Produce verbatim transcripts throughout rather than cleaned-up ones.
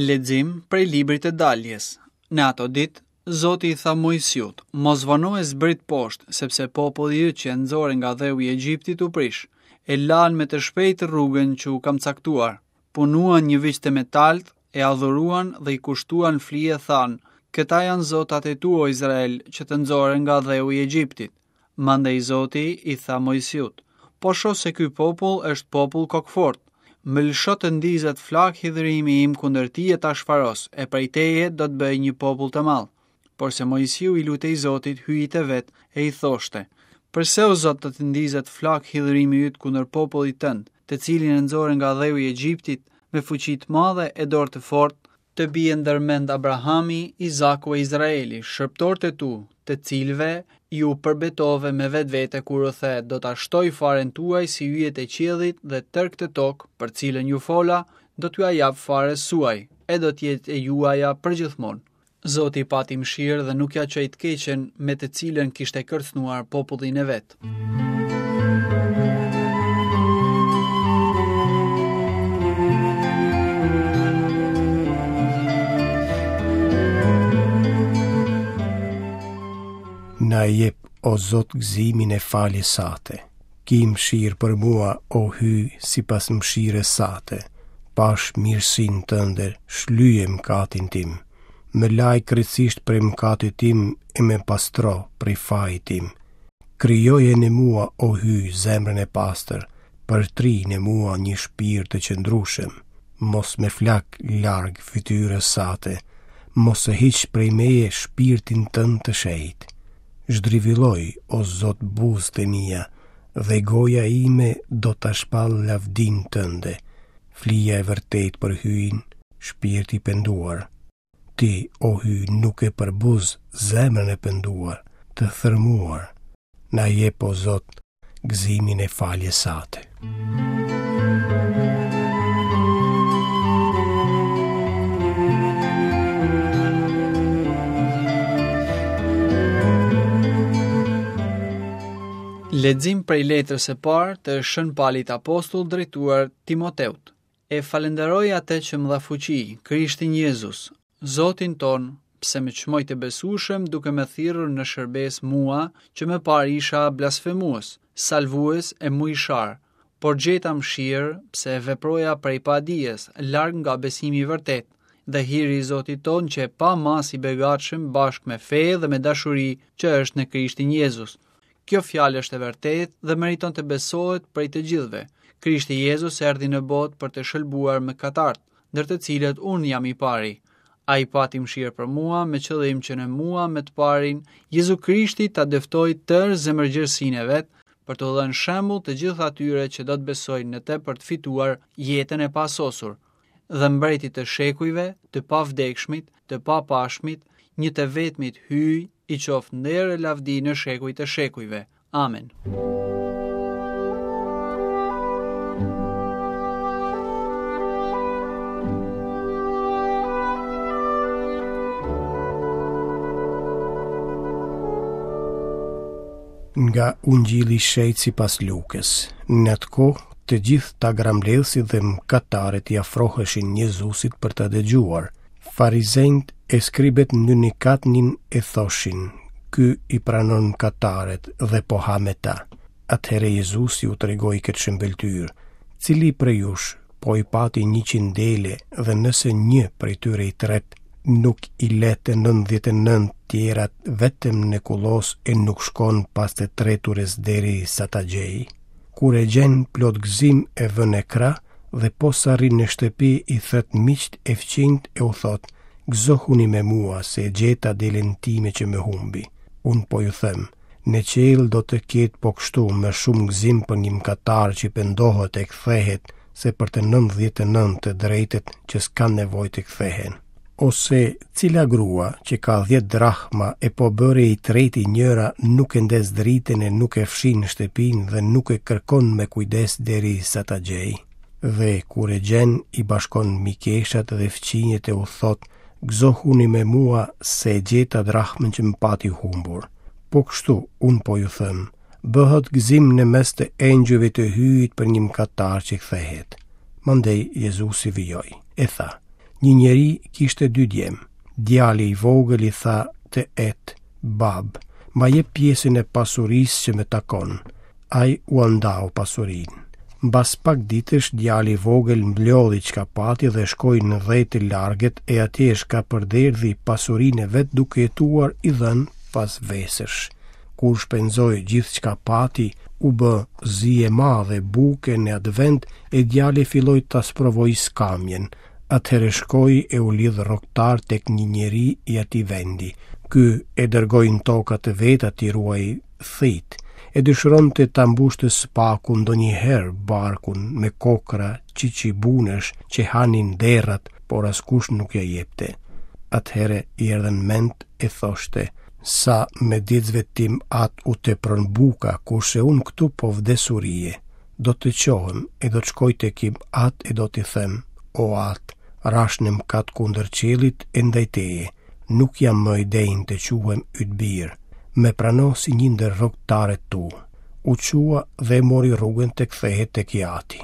Lexim prej librit të daljes. Në ato ditë, Zoti i tha Moisiut, mos vono e zbrit poshtë, sepse populli yt që e nxore nga dheu i Egjiptit u prish. E lanë me të shpejtë rrugën që u kam caktuar. Punuan një viç të metalt, e adhuruan dhe i kushtuan flije thanë, këta janë zotat e tu, o Izrael, që të nxore nga dheu i Egjiptit. Mandej Zoti i tha Moisiut, po shoh se ky popull është popull kokfort. Më lësho të ndizet flak hidhërimi im kundër tij e ta shfaros, e prej teje do të bëj një popull të madh. Porse Moisiu i lutej Zotit hyjit e vet e i thoshte: Përse o Zot të të ndizet flak hidhërimi yt kundër popullit tënd, të cilin e nxore nga dheu i Egjiptit me fuqi të madhe e dorë të fortë, të bie ndërmend Abrahami, Izaku e Izraeli, shërbëtorët e tu, të cilëve ju përbetove me vetvete kur u the, do ta shtoj faren tuaj si yjet e qiellit dhe tërë këtë tokë, për cilën ju fola, do t'ju jap farës suaj, e do të jetë e juaja përgjithmonë. Zoti pati mëshirë dhe nuk ja çoi të keqen me të cilën kishte kërcënuar popullin e vet. Na jep, o Zot, gëzimin e faljes sate. Ki mëshirë për mua, o Hyj, sipas mëshirës sate. Pash mirësinë tënde, shlyje mëkatin tim. Më laj krejtësisht prej mëkatit tim e më pastro prej fajit tim. Krijoje në mua, o Hyj, zemrën e pastër, përtri në mua një shpirt të qëndrueshëm. Mos më flak larg fytyrës sate, mos e hiq prej meje shpirtin tënd të shenjtë. Zhdrivilloj, o Zot, buzët e mia, dhe goja ime do ta shpall lavdinë tënde. Flija e vërtet për Hyjin, shpirti i penduar. Ti, o Hyj, nuk e përbuz zemrën e penduar, të thërmuar. Na jep, o Zot, gëzimin e faljes sate. Lexim prej letrës së parë të Shën Palit Apostull drejtuar Timoteut. E falenderoj atë që më dha fuqi, Krishtin Jezus, Zotin ton, pse më çmoi të besueshëm duke më thirrur në shërbes mua, që më parë isha blasfemues, salvues e mujshar, por gjeta mëshirë pse veproja prej padijes, larg nga besimi i vërtet, dhe hiri i Zotit ton që pa mas i begatshëm bashkë me fe dhe me dashuri që është në Krishtin Jezus. Kjo fjalë është e vërtetë dhe meriton të besohet prej të gjithëve. Krishti Jezus erdhi në botë për të shëlbuar mëkatarët, ndër të cilët unë jam i pari. Ai pati mëshirë për mua me qëllim që në mua me të parin Jezu Krishti ta dëftoj tërë zemërgjerësinë e vet, për të dhënë shembull të gjithë atyre që do të besojnë në të për të fituar jetën e pasosur. Dhe mbretit të shekujve, të pavdekshmit, të papashmit, një të vetmit Hyj, i qoftë nder e lavdi në shekujt e shekujve. Amen. Nga Ungjilli i Shenjtë sipas Lukës. Në atë kohë, të gjithë tagrambledhësit dhe mëkatarët i afroheshin Jezusit për ta dëgjuar. Farizenjt e skribet nynikatnin e thoshin, ky i pranon mëkatarët dhe po ha me ta. Atëherë Jezusi u tregoi këtë shëmbëlltyrë, cili prej jush po i pati njëqind dele dhe nëse një prej tyre i tret, nuk i le të nëntëdhjetë e nëntë tjerat vetëm në kullos e nuk shkon pas të treturës deri sa ta gjej. Kur e gjen plot gëzim e vën në krah dhe posa arrin në shtëpi i thët miqt e fqinjt e u thot, gëzohuni me mua se e gjeta delen time që më humbi. Unë po ju them, në qiell do të ketë po kështu më shumë gëzim për një mëkatar që pendohet e kthehet se për të nëntëdhjetë e nëntë të drejtët që s'kan nevojë të kthehen. Ose cila grua që ka dhjetë drahma e po bëri i treti njëra nuk e ndez dritën e nuk e fshin shtëpinë dhe nuk e kërkon me kujdes deri sa ta gjej. Dhe kur e gjen i bashkon mikeshat dhe fqinjët e u thot, gëzohuni me mua se e gjeta drahmën që më pati humbur. Po kështu, unë po ju them, bëhet gëzim në mes të engjëjve të Hyjit për një mëkatar që kthehet. Mandej Jezusi vijoi, e tha, Një njeri kishte dy djem. Djali i vogël i tha të et, babë, ma jep pjesën e pasurisë që më takon. Ai ua ndau pasurinë. Mbas pak ditësh djali i vogël mblodhi çka pati dhe shkoi në dhe të largët e atje shkapërderdhi pasurinë e vet duke jetuar i dhënë pas vesësh. Kur shpenzoi gjithë çka pati, u bë zi e madhe buke në atë vend e djali filloi ta sprovojë skamjen. Atëherë shkoi e u lidh rrogtar tek një njeri i atij vendi. Ky e dërgoi në toka të veta t'i ruajë thitë. E dëshironte ta mbushte së paku ndonjëherë barkun me kokra qyqybunesh që hanin derrat, por askush nuk ia jepte. Atëherë i erdhën mend e thoshte, sa mëditësve tim atë u tepron buka, kurse unë këtu po vdes urie. Do të çohem e do të shkoj tek im atë e do t'i them, o atë, rashë në mëkat kundër qiellit e ndaj teje, nuk jam më i denjë të quhem yt bir. Me prano si një ndër rrogtarët tu. U çua dhe mori rrugën të kthehet tek i ati.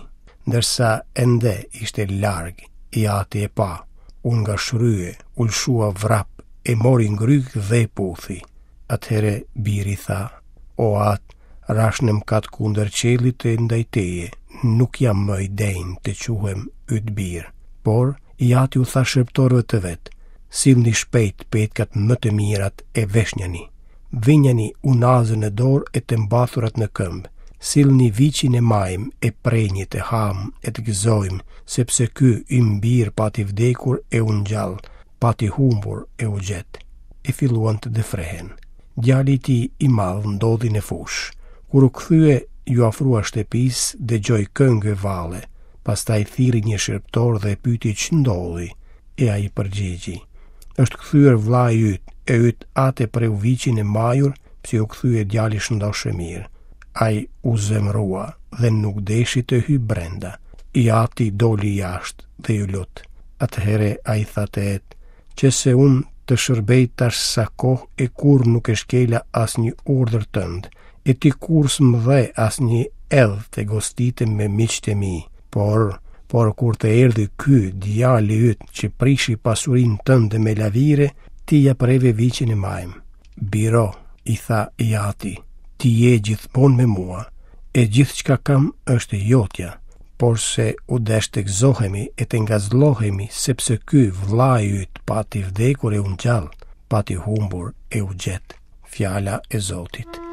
Ndërsa ende ishte larg, i ati e pa, u ngashërye, u lëshua vrap, e mori ngryk dhe e puthi. Atëherë biri tha, o atë, rashë në mëkat kundër qiellit e ndaj teje, nuk jam më i denjë të quhem yt bir. Por i ati u tha shërbëtorëve të vet, sillni shpejt petkat më të mirat e veshnjani. Vinjani unazën në dorë e të mbathurat në këmbë. Sillni viçin e majmë e prejeni të hamë e të gëzojmë, sepse ky im bir pati vdekur e u ngjall, pati humbur e u gjet. E filluan të dëfrehen. Djali i tij i madh ndodhej në fushë. Kur u kthye, iu afrua shtëpisë, dëgjoi këngë e valle. Pastaj thirri një shërbëtor dhe e pyeti ç'ndodhi, e ai përgjigji: Është kthyer vëllai yt, e yt atë e preu viçin e majur, pse u kthye djali shëndoshë e mirë. Ai u zemërua dhe nuk deshi të hyjë brenda. I ati doli jashtë dhe iu lut. Atëherë ai tha të et, që se unë të shërbej tash sa kohë e kurrë nuk e shkela asnjë urdhër tënd, e ti kurrë s'më dhe asnjë edh të gostitem me miqtë e mi, por por kur të erdhi ky djali yt që prishi pasurinë tënde me lavire, ti ia preve viçin e majmë. Biro, i tha i ati, ti je gjithmonë me mua, e gjithçka kam është jotja, porse u desh të gëzohemi e të ngazëllohemi, sepse ky vëllai yt pati vdekur e u ngjall, pati humbur e u gjet. Fjala e Zotit.